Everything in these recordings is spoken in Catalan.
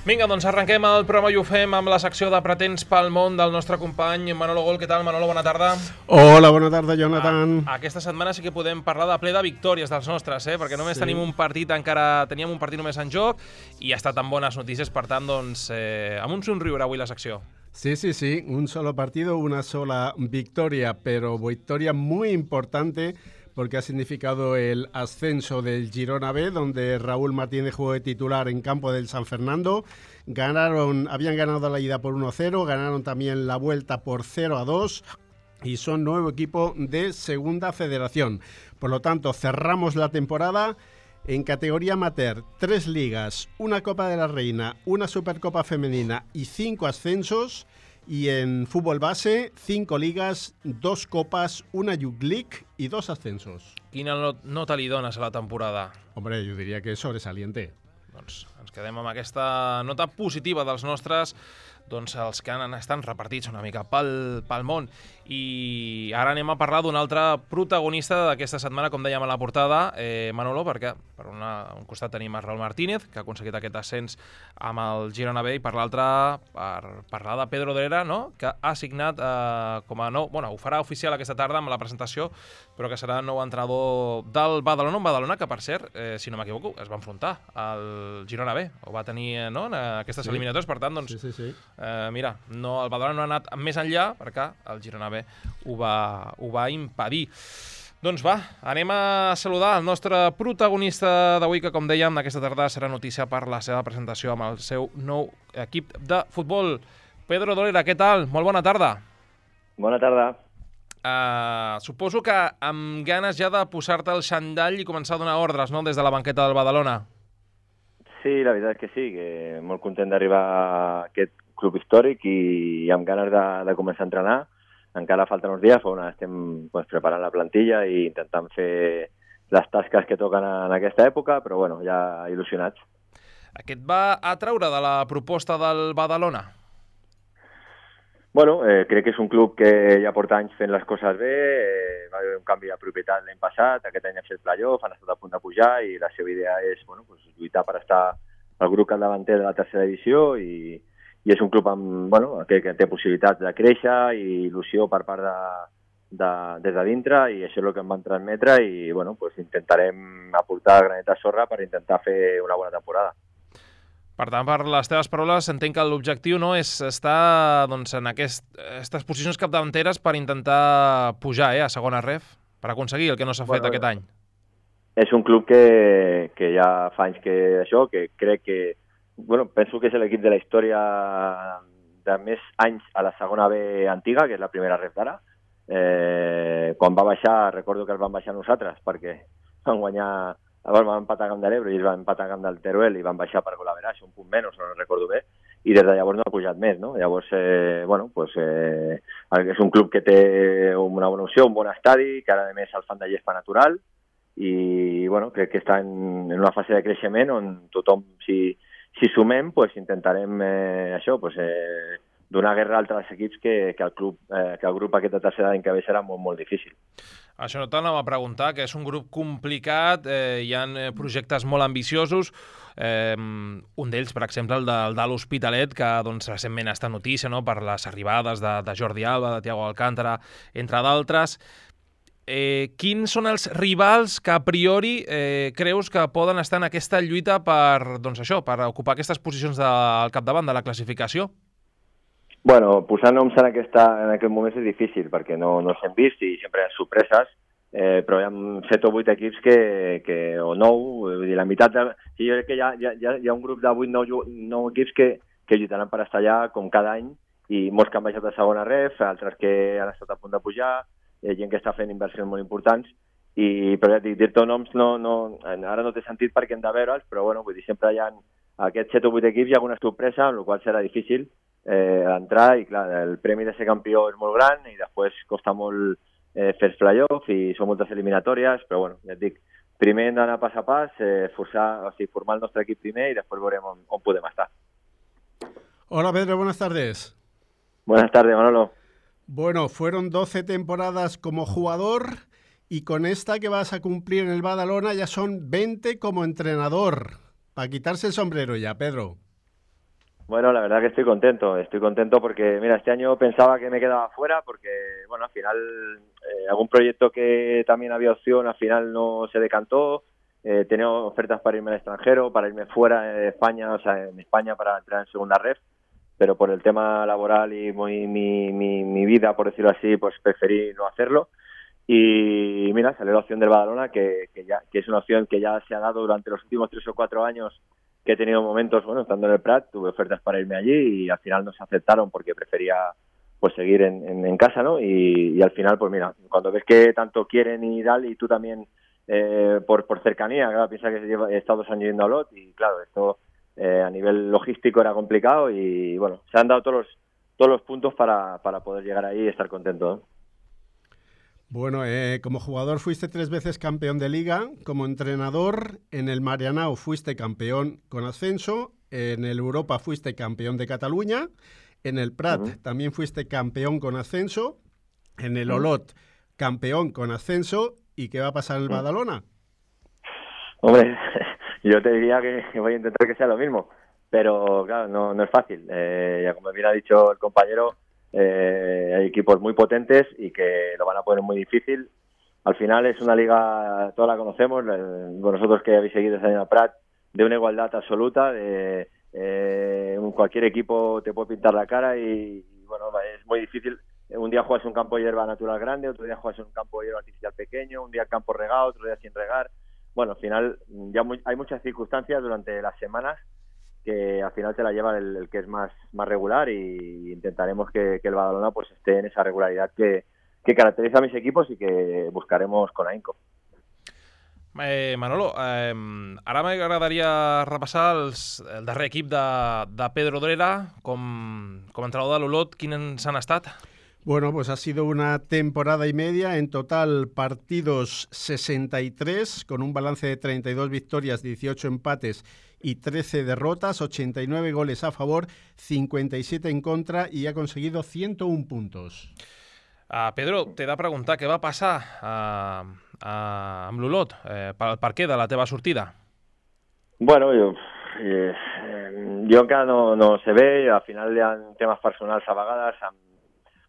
Vinga, doncs arrenquem el programa i ho fem amb la secció de Pretens pel món del nostre company Manolo Gol. Què tal, Manolo? Bona tarda. Hola, bona tarda, Jonathan. Aquesta setmana sí que podem parlar de ple de victòries dels nostres, perquè només tenim un partit teníem un partit només en joc i ha estat amb bones notícies, per tant, doncs, amb un somriure avui la secció. Sí, un solo partido, una sola victoria, pero victoria muy importante porque ha significado el ascenso del Girona B, donde Raúl Martínez jugó de titular en campo del San Fernando. Habían ganado la ida por 1-0, ganaron también la vuelta por 0-2 y son nuevo equipo de Segunda Federación. Por lo tanto, cerramos la temporada en categoría amateur, 3 ligas, una Copa de la Reina, una Supercopa Femenina y 5 ascensos. Y en fútbol base, 5 ligas, 2 copas, una Youth League y 2 ascensos. Quina nota li dones a la temporada? Hombre, yo diría que es sobresaliente. Doncs ens quedem amb aquesta nota positiva dels nostres, doncs els que estan repartits una mica pel món. I ara anem a parlar d'un altre protagonista d'aquesta setmana, com dèiem a la portada, Manolo, perquè per un costat tenim a Raúl Martínez, que ha aconseguit aquest ascens amb el Girona B, i per l'altre per parlar de Pedro Dolera, no? Que ha signat com a nou, ho farà oficial aquesta tarda amb la presentació, però que serà nou entrenador del Badalona, un Badalona que, per cert, si no m'equivoco, es va enfrontar al Girona B, ho va tenir en aquestes eliminatòries, per tant, doncs, mira, el Badalona no ha anat més enllà perquè el Girona B ho va impedir. Doncs va, anem a saludar el nostre protagonista d'avui, que, com dèiem, aquesta tarda serà notícia per la seva presentació amb el seu nou equip de futbol. Pedro Dolera, què tal? Molt bona tarda. Bona tarda. Suposo que amb ganes ja de posar-te el xandall i començar a donar ordres, no?, des de la banqueta del Badalona. Sí, la veritat és que sí, que molt content d'arribar a aquest club històric i amb ganes de començar a entrenar. Encara falten uns dies, on estem preparant la plantilla i intentant fer les tasques que toquen en aquesta època, però bueno, ja il·lusionats. Què et va atraure de la proposta del Badalona? Bueno, crec que és un club que ja porta anys fent les coses bé, va haver un canvi de propietat l'any passat, aquest any ha fet playoff, han estat a punt de pujar i la seva idea és lluitar per estar al grup capdavanter de la tercera divisió i és un club que té possibilitats de créixer i il·lusió per part des de dintre, i això és el que em van transmetre i intentarem aportar granet de sorra per intentar fer una bona temporada. Per tant, per les teves paraules, entenc que l'objectiu és estar en aquestes posicions capdavanteres per intentar pujar a segona ref, per aconseguir el que no s'ha fet aquest any. És un club que ja fa anys que crec que penso que és l'equip de la història de més anys a la segona B antiga, que és la primera ref d'ara. Quan va baixar, recordo que els van baixar nosaltres, perquè van empatar a Camp de l'Ebre i ells van empatar a Camp del Teruel i van baixar per Golaveraix, un punt menys, no recordo bé, i des de llavors no ha pujat més, no? Llavors, és un club que té una bona opció, un bon estadi, que ara a més el fan de gespa natural, i crec que està en una fase de creixement on tothom, si sumem, intentarem donar guerra a altres equips que el grup aquest de tercera any que ve serà molt, molt difícil. Això no t'anava a preguntar, que és un grup complicat, hi ha projectes molt ambiciosos, un d'ells, per exemple, el de l'Hospitalet, que recentment està notícia per les arribades de Jordi Alba, de Thiago Alcántara, entre d'altres. Quins són els rivals que a priori creus que poden estar en aquesta lluita per ocupar aquestes posicions al capdavant de la classificació? Posar noms en aquest moment és difícil, perquè no s'hem vist i sempre hi ha sorpreses, però hi ha 7 o 8 equips o 9, la meitat jo crec que hi ha un grup de 8-9 equips que lluitaran per estar allà com cada any, i molts que han baixat a segona ref, altres que han estat a punt de pujar, gent que està fent inversions molt importants, però ja dic, dir-te noms ara no té sentit perquè hem de veure'ls, però sempre hi ha aquests 7 o 8 equips, hi ha alguna sorpresa, amb la qual serà difícil entrar, i clar, el premi de ser campió és molt gran i després costa molt fer els play-off i són moltes eliminatòries, però ja et dic, primer hem d'anar pas a pas, formar el nostre equip primer i després veurem on podem estar. Hola Pedro, buenas tardes. Buenas tardes, Manolo. Bueno, fueron 12 temporadas como jugador y con esta que vas a cumplir en el Badalona ya son 20 como entrenador. Para quitarse el sombrero ya, Pedro. Bueno, la verdad que estoy contento porque, mira, este año pensaba que me quedaba fuera porque, bueno, al final algún proyecto que también había opción, al final no se decantó, tenía ofertas para irme al extranjero, para irme fuera de España, o sea, en España para entrar en segunda ref, pero por el tema laboral y mi vida, por decirlo así, pues preferí no hacerlo. Y mira, salió la opción del Badalona, que es una opción que ya se ha dado durante los últimos 3 o 4 años, que he tenido momentos, bueno, estando en el Prat, tuve ofertas para irme allí y al final no se aceptaron porque prefería pues seguir en casa, ¿no? Y al final, pues mira, cuando ves que tanto quieren y tal, y tú también por cercanía, claro, piensa que he estado 2 años yendo a Olot y claro, esto a nivel logístico era complicado y bueno, se han dado todos los puntos para poder llegar ahí y estar contento, ¿no? Bueno, como jugador fuiste 3 veces campeón de liga, como entrenador en el Marianao fuiste campeón con ascenso, en el Europa fuiste campeón de Cataluña, en el Prat también fuiste campeón con ascenso, en el Olot campeón con ascenso. ¿Y qué va a pasar en el Badalona? Hombre, yo te diría que voy a intentar que sea lo mismo, pero claro, no es fácil. Ya como bien ha dicho el compañero, hay equipos muy potentes y que lo van a poner muy difícil. Al final es una liga, todos la conocemos, vosotros que habéis seguido ese año a Prat, de una igualdad absoluta, de cualquier equipo te puede pintar la cara y bueno, es muy difícil. Un día juegas en un campo de hierba natural grande, otro día juegas en un campo de hierba artificial pequeño, un día campo regado, otro día sin regar. Bueno, al final hay muchas circunstancias durante las semanas que al final te la lleva el que es más regular y intentaremos que el Badalona pues esté en esa regularidad que caracteriza a mis equipos y que buscaremos con ahínco. Manolo, ara m'agradaria repassar el darrer equip de Pedro Drera com a entrenador de l'Olot. Quins han estat? Bueno, pues ha sido una temporada y media, en total partidos 63, con un balance de 32 victorias, 18 empates y 13 derrotas, 89 goles a favor, 57 en contra y ha conseguido 101 puntos. Pedro, t'he de preguntar què va passar amb l'Olot, per què de la teva sortida? Bueno, jo encara no sé bé, al final hi ha temes personals a vegades amb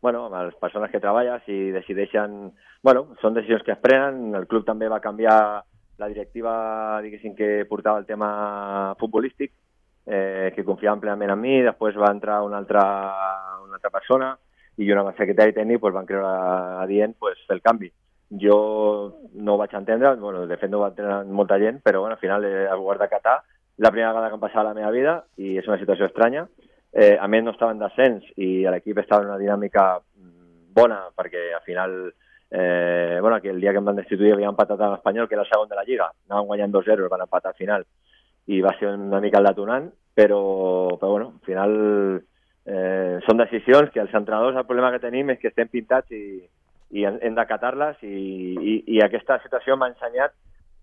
les persones que treballes i decideixen, són decisions que es prenen. El club també va canviar la directiva, diguéssim, que portava el tema futbolístic, que confiava plenament en mi, després va entrar una altra persona i una secretari tècnic van creure adient fer el canvi. Jo no ho vaig entendre, de fet no ho va entendre molta gent, però al final he hagut d'acatar. La primera vegada que em passava a la meva vida i és una situació estranya. A més no estava en descens i l'equip estava en una dinàmica bona perquè al final el dia que em van destituir havia empatat amb l'Espanyol, que era el segon de la Lliga, anaven guanyant 2-0, van empatar al final i va ser una mica el detonant, però al final són decisions que els entrenadors, el problema que tenim és que estem pintats i hem d'acatar-les i aquesta situació m'ha ensenyat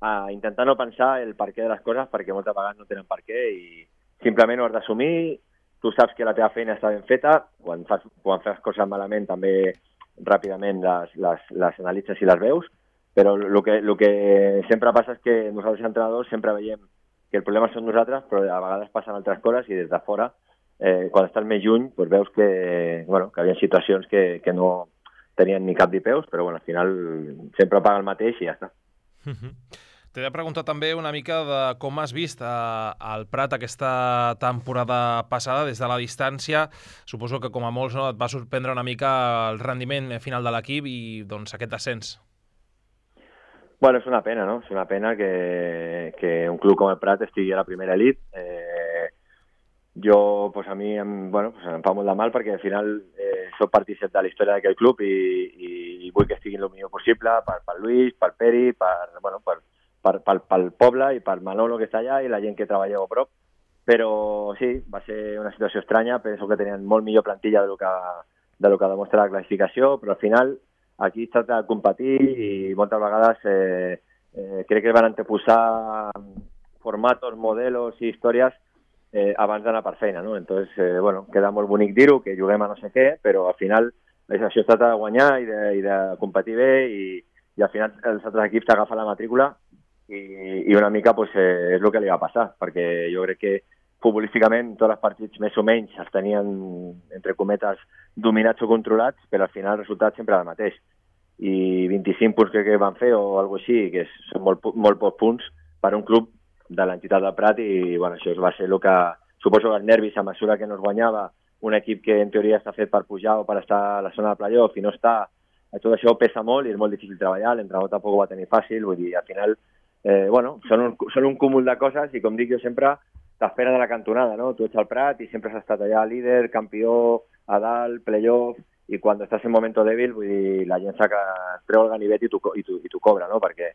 a intentar no pensar el per què de les coses perquè moltes vegades no tenen per què i simplement ho has d'assumir. Tu saps que la teva feina està ben feta, quan fas coses malament també ràpidament les analitzes i les veus, però el que sempre passa és que nosaltres entrenadors sempre veiem que el problema són nosaltres, però a vegades passen altres coses i des de fora, quan estàs més lluny, veus que hi havia situacions que no tenien ni cap ni peus, però al final sempre paga el mateix i ja està. T'he de preguntar també una mica de com has vist el Prat aquesta temporada passada des de la distància. Suposo que com a molts et va sorprendre una mica el rendiment final de l'equip i aquest descens. Bueno, és una pena, no? És una pena que un club com el Prat estigui a la primera elit. Jo, a mi em fa molt de mal perquè al final soc partícip de la història d'aquell club i vull que estigui el millor possible per Lluís, per Peri, pel poble i per Manolo que està allà i la gent que treballeu a prop, però sí, va ser una situació estranya. Penso que tenien molt millor plantilla de lo que demostra la classificació, però al final aquí es tracta de competir i moltes vegades crec que van anteposar formatos, modelos i històries abans d'anar per feina, no? Entonces, queda molt bonic dir-ho, que juguem a no sé què, però al final això es tracta de guanyar i de competir bé i al final els altres equips t'agafen la matrícula i una mica és el que li va passar, perquè jo crec futbolísticament tots els partits més o menys els tenien, entre cometes, dominats o controlats, però al final el resultat sempre era el mateix. I 25 punts que van fer o alguna cosa així, que són molt pocs punts per a un club de l'entitat del Prat, i bueno, això va ser el que, suposo que els nervis a mesura que no es guanyava, un equip que en teoria està fet per pujar o per estar a la zona de playoff i no està, tot això pesa molt i és molt difícil treballar, l'entrenador tampoc ho va tenir fàcil, vull dir, al final, són un cúmul de coses i com dic jo sempre, t'esperen a la cantonada, no? Tu ets al Prat i sempre has estat allà líder, campió, a dalt, playoff, i quan estàs en moment dèbil, vull dir, la gent treu el ganivet i t'ho cobra, no? Perquè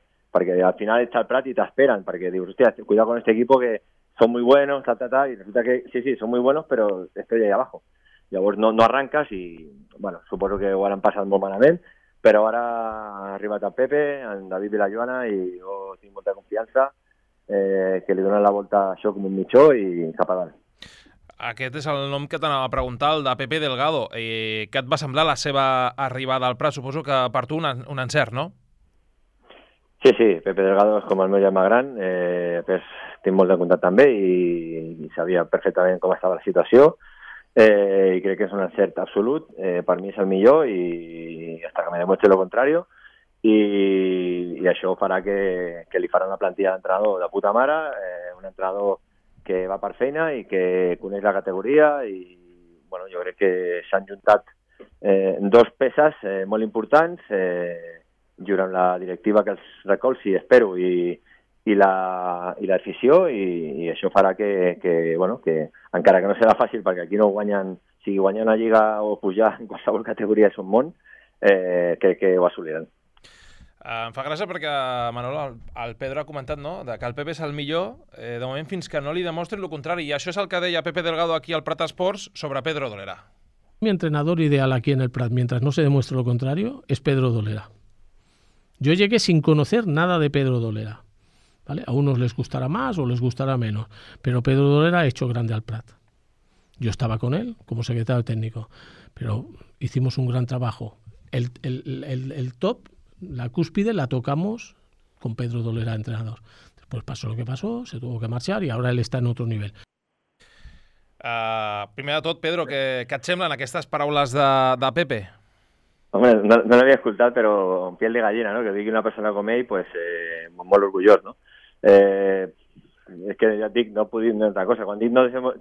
al final ets al Prat i t'esperen, perquè dius, hostia, cuidado con este equipo que son muy buenos, y resulta que sí, son muy buenos, pero estoy ahí abajo. Llavors no arranques i, bueno, suposo que ho han passat molt malament, però ara ha arribat el Pepe, en David i la Joana, i jo tinc molta confiança, que li donen la volta a això com un mitjó i cap a dalt. Aquest és el nom que t'anava a preguntar, el de Pepe Delgado. Què et va semblar la seva arribada al Prat? Suposo que per tu un encert, no? Sí, Pepe Delgado és com el meu germà gran, tinc molt de contacte amb ell i sabia perfectament com estava la situació, i crec que és un encert absolut, per mi és el millor i hasta que me demuestre lo contrario, i això farà que li farà una plantilla d'entrenador de puta mare, un entrenador que va per feina i que coneix la categoria, i bueno, jo crec que s'han juntat dos peces molt importants, junt amb la directiva que els recolzi, espero, i l'afició, i això farà que encara que no serà fàcil, perquè aquí no guanyen, sigui guanyar una lliga o pujar en qualsevol categoria és un món, crec que ho assoliran. Em fa gràcia perquè, Manolo, el Pedro ha comentat, no?, que el Pepe és el millor, de moment fins que no li demostren el contrari, i això és el que deia Pepe Delgado aquí al Prat Esports sobre Pedro Dolera. Mi entrenador ideal aquí en el Prat, mientras no se demuestre lo contrario, es Pedro Dolera. Yo llegué sin conocer nada de Pedro Dolera, ¿vale? A unos les gustará más o les gustará menos, pero Pedro Dolera ha hecho grande al Prat. Yo estaba con él como secretario técnico, pero hicimos un gran trabajo. El top, la cúspide, la tocamos con Pedro Dolera, entrenador. Después pasó lo que pasó, se tuvo que marchar y ahora él está en otro nivel. Primer de tot, Pedro, què et semblen aquestes paraules de Pepe? Home, no l'havia escoltat, però en piel de gallina, no? Que digui una persona com ell, pues, molt orgullós, no? Es que ja et dic, no puc dir una altra cosa. Quan dic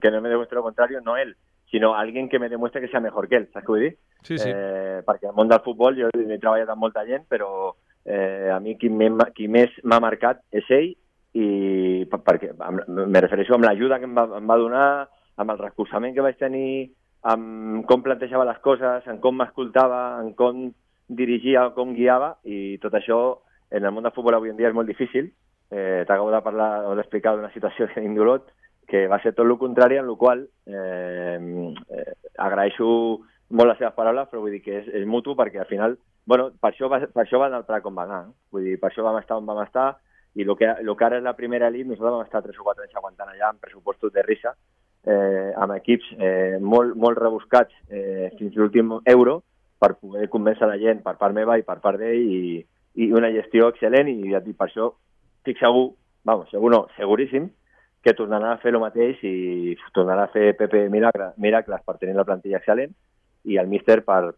que no me demuestre lo contrario, no él, sino alguien que me demuestre que sea mejor que él, saps què vull dir? Sí. Perquè al món del futbol jo he treballat amb molta gent, però a mi qui més m'ha marcat és ell, i perquè me refereixo amb l'ajuda que em va donar, amb el recolzament que vaig tenir, amb com plantejava les coses, en com m'escoltava, en com dirigia o com guiava, i tot això en el món del futbol avui en dia és molt difícil. T'acabo de parlar o d'explicar d'una situació que tinc d'Olot, que va ser tot el contrari, en la qual agraeixo molt les seves paraules, però vull dir que és mutu, perquè al final, bueno, per això va anar al Prat com va anar, no? Vull dir, per això vam estar on vam estar, i el que ara és la primera elit, nosaltres vam estar 3 o 4 anys aguantant allà amb pressupostos de risa, amb equips molt rebuscats fins l'últim euro, per poder convèncer la gent per part meva i per part d'ell, i una gestió excel·lent, i ja et dic, per això estic segur, segur no, seguríssim, que tornarà a fer el mateix i tornarà a fer Pepe miracles per tenir la plantilla excel·lent, i el míster per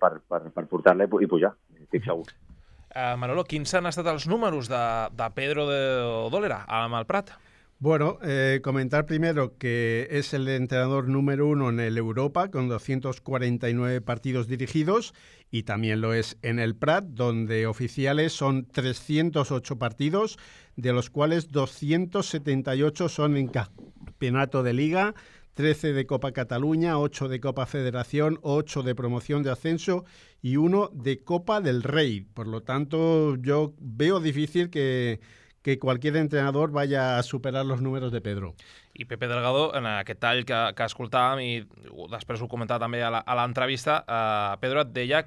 portar-la i pujar, estic segur. Manolo, quins han estat els números de Pedro Dolera amb el Prat? Bueno, comentar primero que es el entrenador número 1 en el Europa, con 249 partidos dirigidos, y también lo es en el Prat, donde oficiales son 308 partidos, de los cuales 278 son en campeonato de Liga, 13 de Copa Cataluña, 8 de Copa Federación, 8 de promoción de ascenso y 1 de Copa del Rey. Por lo tanto, yo veo difícil que cualquier entrenador vaya a superar los números de Pedro. I Pepe Delgado, en aquest tall que escoltàvem, i després ho comentava també a l'entrevista, Pedro et deia,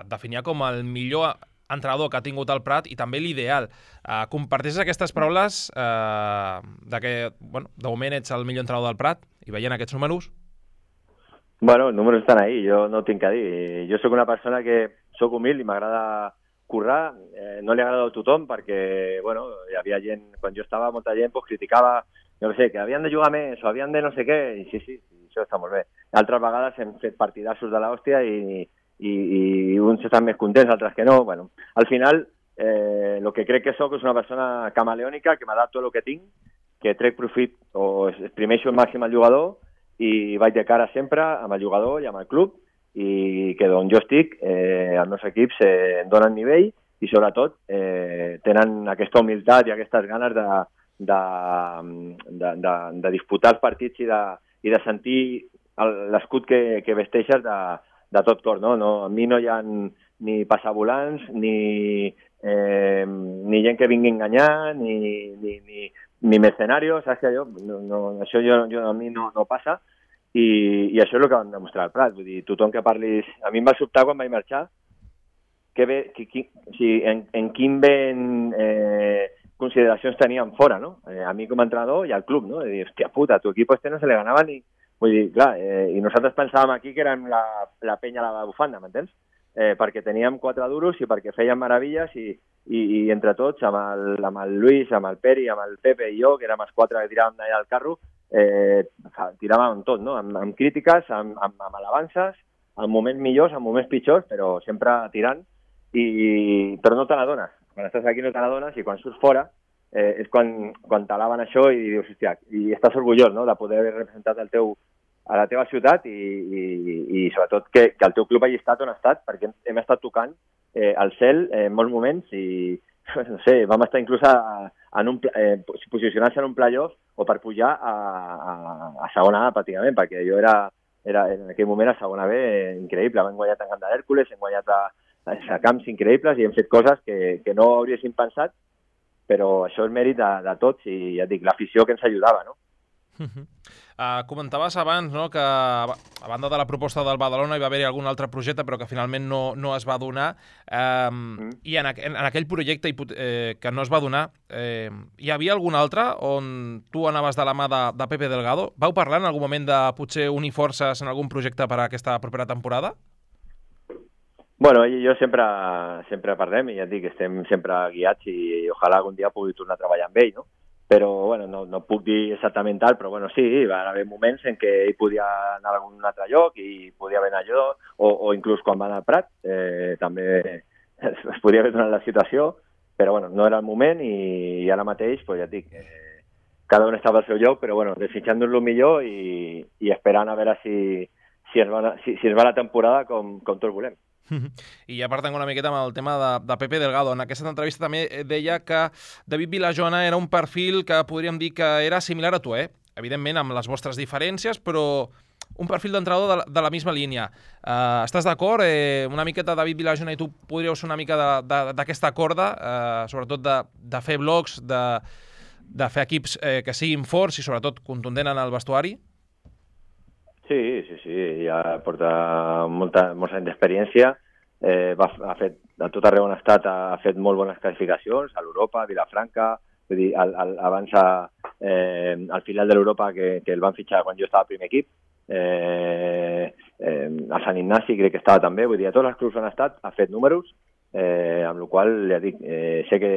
definia com el millor entrenador que ha tingut el Prat i també l'ideal. Comparteixes aquestes paraules que, de moment ets el millor entrenador del Prat i veient aquests números? Bueno, els números estan ahí, jo no tinc que dir. Jo sóc una persona que sóc humil i m'agrada currar, no li agrada a tothom perquè, hi havia gent, quan jo estava, molta gent criticava jo què sé, que havien de jugar més o havien de no sé què, i sí, això està molt bé. Altres vegades hem fet partidassos de l'hòstia i uns estan més contents, altres que no. Bueno, al final, el que crec que soc és una persona camaleònica, que m'adapto a el que tinc, que trec profit o exprimeixo al màxim el jugador i vaig de cara sempre amb el jugador i amb el club, i que d'on jo estic, els meus equips em donen nivell i sobretot tenen aquesta humilitat i aquestes ganes de disputar els partits i de sentir l'escut que vesteixes de tot cor, no? A mi no hi ha ni passavolants, ni gent que vingui a enganyar, ni mercenarios, saps que això a mi no passa, i això és el que vam demostrar al Prat. Vull dir, tothom que parlis... A mi em va sobtar quan vaig marxar en quin ben consideracions teníem fora, no? A mi com a entrenador i al club, no? De dir, hòstia puta, a tu equip no se le ganava ni... Vull dir, clar, i nosaltres pensàvem aquí que érem la penya a la bufanda, m'entens? Perquè teníem 4 duros i perquè fèiem meravilles i entre tots, amb el Luis, amb el Peri, amb el Pepe i jo, que érem els 4 que tiràvem d'allà del carro, tiràvem tot, no? Amb crítiques, amb alabances, en moments millors, en moments pitjors, però sempre tirant, però no te n'adones. Quan estàs aquí no te n'adones i quan surts fora és quan t'alaben això i dius, hòstia, i estàs orgullós, no?, de poder haver representat a la teva ciutat i sobretot que el teu club hagi estat on ha estat, perquè hem estat tocant al cel en molts moments i no sé, vam estar inclús posicionant-se en un playoff o per pujar a segona A pràcticament, perquè jo era en aquell moment a segona B increïble, hem guanyat en Camp d'Hèrcules, hem guanyat a camps increïbles i hem fet coses que no hauríem pensat, però això és mèrit de tots i ja et dic, l'afició que ens ajudava, no? Comentaves abans, no?, que a banda de la proposta del Badalona hi va haver-hi algun altre projecte però que finalment no es va donar, i en aquell projecte que no es va donar, hi havia algun altre on tu anaves de la mà de Pepe Delgado? Vau parlar en algun moment de potser unir forces en algun projecte per a aquesta propera temporada? Bueno, ell i jo sempre parlem i ja et dic, estem sempre guiats i ojalà algun dia pugui tornar a treballar amb ell, no? Però, bueno, no puc dir exactament tal, però, bueno, sí, va haver moments en què ell podia anar a algun altre lloc i podia haver anat jo, o inclús quan va anar al Prat, també es podia haver donat la situació, però, bueno, no era el moment i ara mateix, pues, ja et dic, cada un estava al seu lloc, però, bueno, desitjant-nos el millor i esperant a veure si es va la temporada com tots volem. I ja partant una miqueta amb el tema de Pepe Delgado. En aquesta entrevista també deia que David Vilajona era un perfil que podríem dir que era similar a tu, evidentment amb les vostres diferències, però un perfil d'entrenador de la misma línia. Estàs d'acord? Una miqueta David Vilajona i tu podríeu ser una mica d'aquesta corda, sobretot de fer blocs, de fer equips que siguin forts i sobretot contundent en el vestuari? Sí, ja porta molts anys d'experiència, a tot arreu on ha estat ha fet molt bones classificacions, a l'Europa, a Vilafranca, vull dir, abans al final de l'Europa que el van fitxar quan jo estava al primer equip, a Sant Ignasi crec que estava també, vull dir, a tots els clubs on ha estat ha fet números, amb la qual ja dic, sé que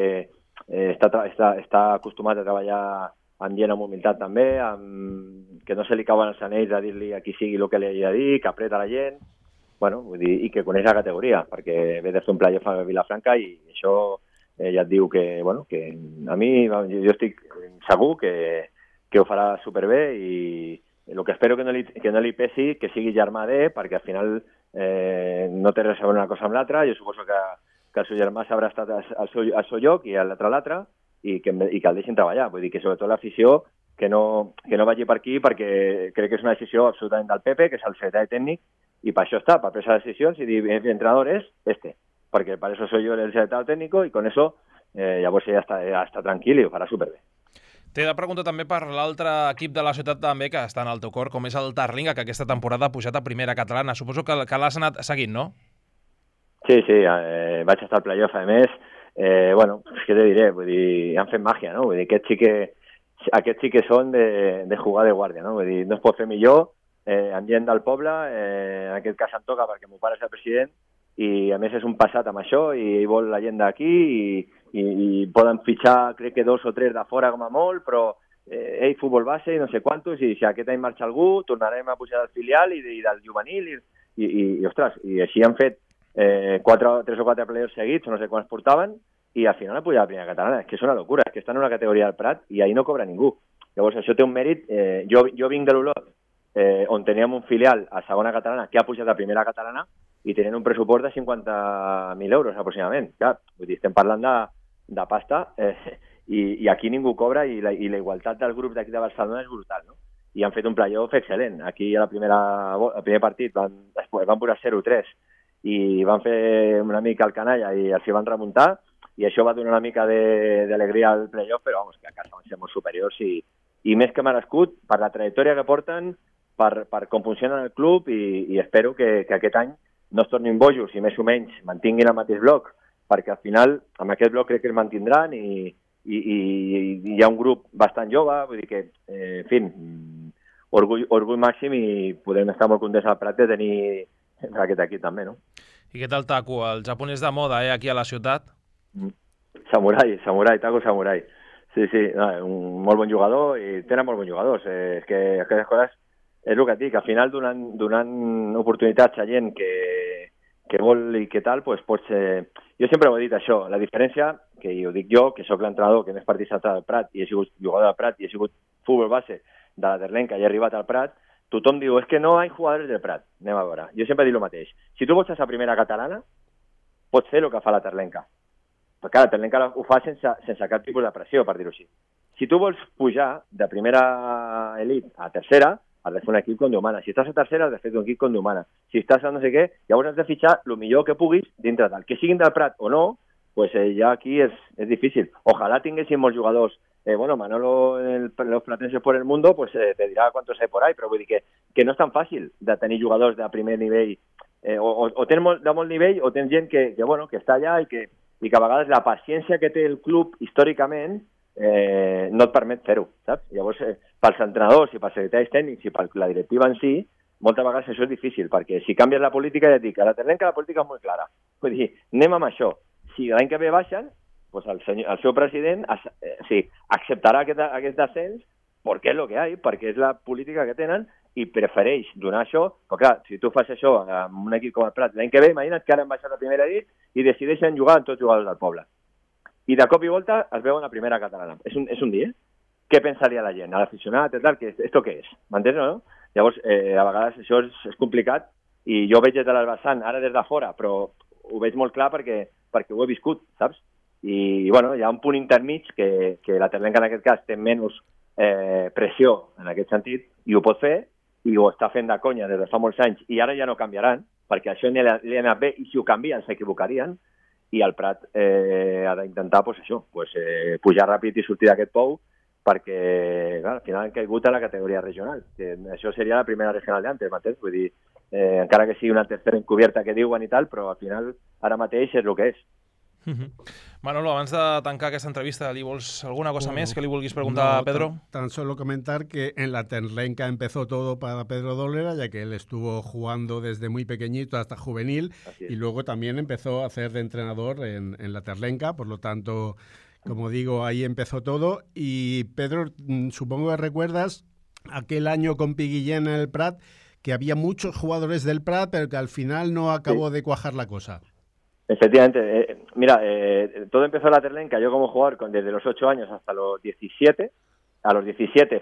està acostumat a treballar amb gent amb humilitat també, que no se li cauen els anells a dir-li a qui sigui el que li hagi de dir, que apreta la gent, bueno, vull dir, i que coneix la categoria, perquè ve de fer un playoff a Vilafranca i això ja et diu que, bueno, que a mi, jo estic segur que ho farà superbé i el que espero que no li pesi que sigui germà perquè al final no té res a veure una cosa amb l'altra, jo suposo que el seu germà s'haurà estat al seu lloc i l'altre i que el deixin treballar. Vull dir que sobretot l'afició que no vagi per aquí perquè crec que és una decisió absolutament del Pepe, que és el secretari tècnic, i per això està, per prendre decisions i dir, el entrenador és perquè per això soy yo el secretario técnico y con eso llavors ella està tranquil i ho farà superbé. T'he de preguntar també per l'altre equip de la ciutat també que està en el teu cor, com és el Tarlinga, que aquesta temporada ha pujat a primera catalana. Suposo que l'has anat seguint, no? Sí, vaig estar al playoff, a més. Bueno, què te diré? Vull dir, han fet màgia, no? Vull dir, aquests sí que són de jugar de guàrdia, no? Vull dir, no es pot fer millor amb gent del poble, en aquest cas em toca perquè meu pare és el president i a més és un passat amb això i vol la gent d'aquí i poden fitxar crec que 2 o 3 de fora com a molt, però futbol base i no sé quantos, i si aquest any marxa algú, tornarem a pujar del filial i del juvenil, i ostres, i així han fet 3 o 4 playoffs seguits, no sé quants portaven, i al final ha pujat a la primera catalana. És que és una locura, és que estan en una categoria del Prat i ahir no cobra ningú. Llavors això té un mèrit. Jo vinc de l'Olot, on teníem un filial a segona catalana que ha pujat a primera catalana i tenien un pressupost de 50.000 euros aproximadament. Clar, vull dir, estem parlant de pasta i aquí ningú cobra i la igualtat del grup d'aquí de Barcelona és brutal, no? I han fet un playoff excel·lent. Aquí al primer partit van posar 0-3 i van fer una mica el canalla i els hi van remuntar i això va donar una mica d'alegria al playoff, però vamos, que a casa van ser molt superiors i més que merescut per la trajectòria que porten, per com funciona el club i espero que aquest any no es tornin bojos i més o menys mantinguin el mateix bloc, perquè al final amb aquest bloc crec que es mantindran i hi ha un grup bastant jove, vull dir que, en fi, orgull màxim i podem estar molt contents al Prat de tenir aquest equip també, no? I què tal Taku, el japonès de moda, aquí a la ciutat? Samurai, Taku Samurai. Sí, un molt bon jugador i tenen molt bons jugadors. És que aquestes coses, és el que et dic, al final donant oportunitats a gent que vol i que tal, doncs pots... Jo sempre ho he dit això, la diferència, que ho dic jo, que sóc l'entrenador que més partits ha entrat al Prat i he sigut jugador del Prat i he sigut futbol base de la Terlenca i he arribat al Prat, tothom diu, és que no hi ha jugadors del Prat. Anem a veure. Jo sempre dic el mateix. Si tu vols ser a primera catalana, pots fer el que fa la Terlenca. Però clar, la Terlenca ho fa sense cap tipus de pressió, per dir-ho així. Si tu vols pujar de primera elit a tercera, has de fer un equip com Déu mana. Si estàs a tercera, has de fer un equip com Déu mana. Si estàs a no sé què, llavors has de fitxar el millor que puguis dintre del. Que siguin del Prat o no, pues ja aquí és difícil. Ojalá tinguéssim molts jugadors. Bueno, Manolo, los platenses por el mundo, pues te dirá cuántos hay por ahí, però vull dir que no és tan fàcil de tenir jugadors de primer nivell. O tens de molt nivell o tens gent que està allà i que a vegades la paciència que té el club històricament no et permet fer-ho, saps? Llavors, pels entrenadors i pels secretaris tècnics i per la directiva en si, moltes vegades això és difícil, perquè si canvies la política, ja et dic, a la Terlenca la política és molt clara. Vull dir, anem amb això. Si l'any que ve baixen, pues el seu president acceptarà aquest descens perquè és el que hi ha, perquè és la política que tenen i prefereix donar això, però clar, si tu fas això amb un equip com el Prat, l'any que ve, imagina't que ara han baixat a primera elit i decideixen jugar amb tots els jugadors del poble. I de cop i volta es veuen a primera catalana. És un dia. Què pensaria la gent? A l'aficionat, tal, ¿esto què és? M'entens, no? Llavors, a vegades això és complicat i jo veig des de l'Albassant, ara des de fora, però ho veig molt clar perquè ho he viscut, saps? I, bueno, hi ha un punt intermig que la Terlenca en aquest cas té menys pressió en aquest sentit i ho pot fer i ho està fent de conya des de fa molts anys i ara ja no canviaran, perquè això li ha anat bé i si ho canvien s'equivocarien i el Prat ha d'intentar pujar ràpid i sortir d'aquest pou perquè clar, al final han caigut a la categoria regional, que això seria la primera regional d'antes, m'entens? Vull dir, encara que sigui una tercera encubierta que diuen i tal, però al final ara mateix és el que és. Manolo, abans de tancar aquesta entrevista, ¿li vols alguna cosa més que li vulguis preguntar a Pedro? Tan solo comentar que en la Terlenca empezó todo para Pedro Dolera, ya que él estuvo jugando desde muy pequeñito hasta juvenil y luego también empezó a hacer de entrenador en la Terlenca, por lo tanto, como digo, ahí empezó todo. Y Pedro, supongo que recuerdas aquel año con Piguillén en el Prat, que había muchos jugadores del Prat, pero que al final no acabó de cuajar la cosa. Efectivamente. Mira, todo empezó en la Terlenca, yo como jugador desde los 8 años hasta los 17. A los 17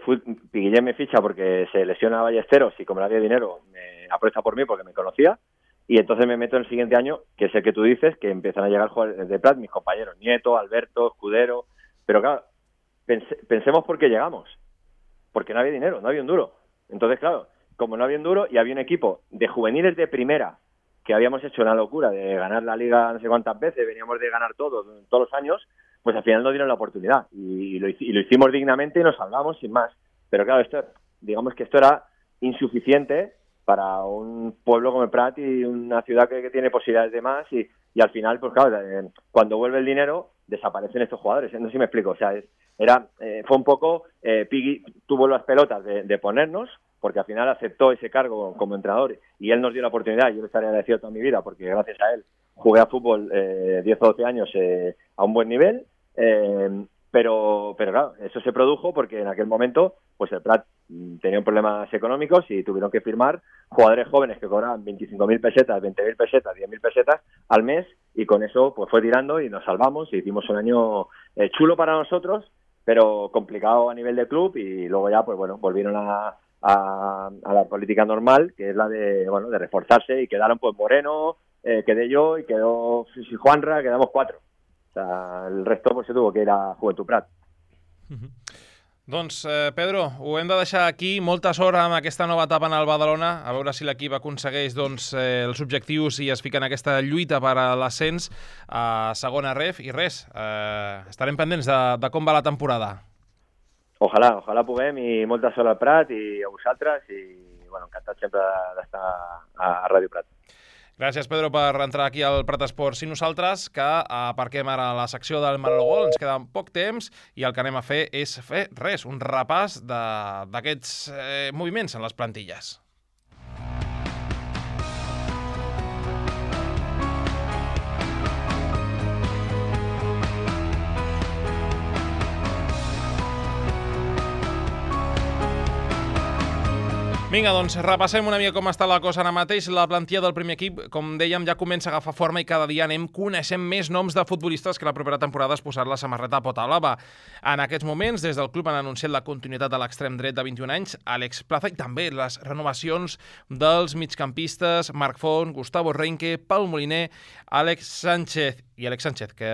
Piguillén me ficha porque se lesiona a Ballesteros y como no había dinero me apuesta por mí porque me conocía y entonces me meto en el siguiente año, que es el que tú dices, que empiezan a llegar jugadores de Prat, mis compañeros, Nieto, Alberto, Escudero, pero claro, pensemos por qué llegamos, porque no había dinero, no había un duro. Entonces claro, como no había un duro y había un equipo de juveniles de primera que habíamos hecho una locura de ganar la liga no sé cuántas veces, veníamos de ganar todos los años, pues al final nos dieron la oportunidad y lo hicimos dignamente y nos salvamos sin más. Pero claro, digamos que esto era insuficiente para un pueblo como el Prat y una ciudad que tiene posibilidades de más y al final, pues claro, cuando vuelve el dinero desaparecen estos jugadores. No sé si me explico, o sea, fue un poco, Piggy tuvo las pelotas de ponernos, porque al final aceptó ese cargo como entrenador y él nos dio la oportunidad, yo le estaré agradecido toda mi vida porque gracias a él jugué a fútbol 10 o 12 años a un buen nivel, pero claro, eso se produjo porque en aquel momento pues el Prat tenía problemas económicos y tuvieron que firmar jugadores jóvenes que cobraban 25.000 pesetas, 20.000 pesetas, 10.000 pesetas al mes, y con eso pues fue tirando y nos salvamos y hicimos un año chulo para nosotros, pero complicado a nivel de club, y luego ya pues bueno, volvieron a la política normal, que es la de reforzarse, y quedaron pues Moreno, quedé yo y quedó Juanra, quedamos 4. O sea, el resto pues se tuvo que ir a Joventut Prat. Doncs, Pedro, ho hem de deixar aquí. Molta sort amb aquesta nova etapa en el Badalona, a veure si l'equip aconsegueix els objectius i es fica en aquesta lluita per a l'ascens a segona ref. I res, estarem pendents de com va la temporada. Ojalà puguem, i molta sort al Prat i a vosaltres, i bueno, encantat sempre d'estar a Ràdio Prat. Gràcies, Pedro, per entrar aquí al Prat Esports. I nosaltres, que aparquem ara la secció del Manolo Gol, ens queda poc temps i el que anem a fer és fer res, un repàs d'aquests moviments en les plantilles. Vinga, doncs repassem una mica com està la cosa ara mateix. La plantilla del primer equip, com dèiem, ja comença a agafar forma i cada dia anem coneixent més noms de futbolistes que la propera temporada es posar la samarreta pota blava. En aquests moments, des del club han anunciat la continuïtat de l'extrem dret de 21 anys, Àlex Plaza, i també les renovacions dels migcampistes Marc Font, Gustavo Reinke, Pau Moliner, Àlex Sánchez, que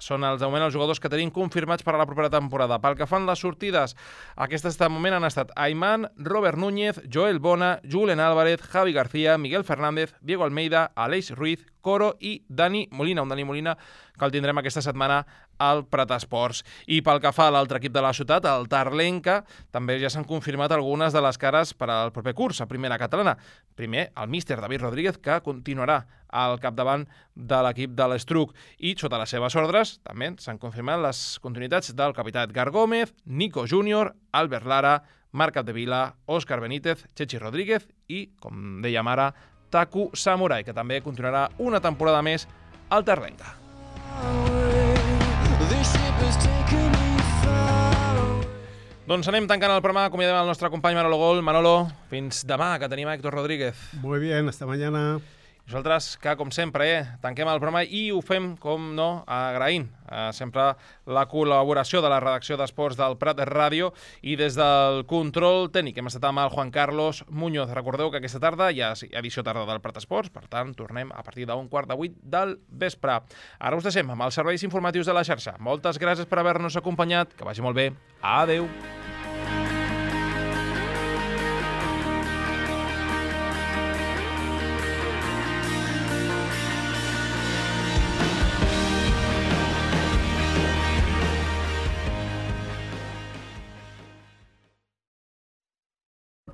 són de moment els jugadors que tenim confirmats per a la propera temporada. Pel que fan les sortides, aquestes de moment han estat Ayman, Robert Núñez, Joel Bona, Julen Álvarez, Javi García, Miguel Fernández, Diego Almeida, Aleix Ruiz, Coro i Dani Molina. Un Dani Molina que el tindrem aquesta setmana al Prat Esports. I pel que fa a l'altre equip de la ciutat, el Tarlenca, també ja s'han confirmat algunes de les cares per al proper curs a primera catalana. Primer, el míster David Rodríguez, que continuarà al capdavant de l'equip de l'Estruc, i sota les seves ordres també s'han confirmat les continuïtats del capità Edgar Gómez, Nico Júnior, Albert Lara, Marc Capdevila, Òscar Benítez, Chechi Rodríguez i, com dèiem ara, Taku Samurai, que també continuarà una temporada més al Tarlenca. Doncs anem tancant el programa, acomiadem el nostre company Manolo Gol. Manolo, fins demà, que tenim a Héctor Rodríguez. Muy bien, hasta mañana. Nosaltres, que com sempre, tanquem el programa i ho fem, com no, agraint sempre la col·laboració de la redacció d'Esports del Prat Ràdio, i des del control tècnic hem estat amb el Juan Carlos Muñoz. Recordeu que aquesta tarda hi ha edició tarda del Prat Esports, per tant, tornem a partir d'7:15 del vespre. Ara us deixem amb els serveis informatius de la xarxa. Moltes gràcies per haver-nos acompanyat, que vagi molt bé. Adeu.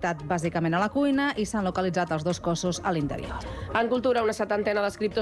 Bàsicament a la cuina, i s'han localitzat els 2 cossos a l'interior. En cultura, una 70ena d'escriptors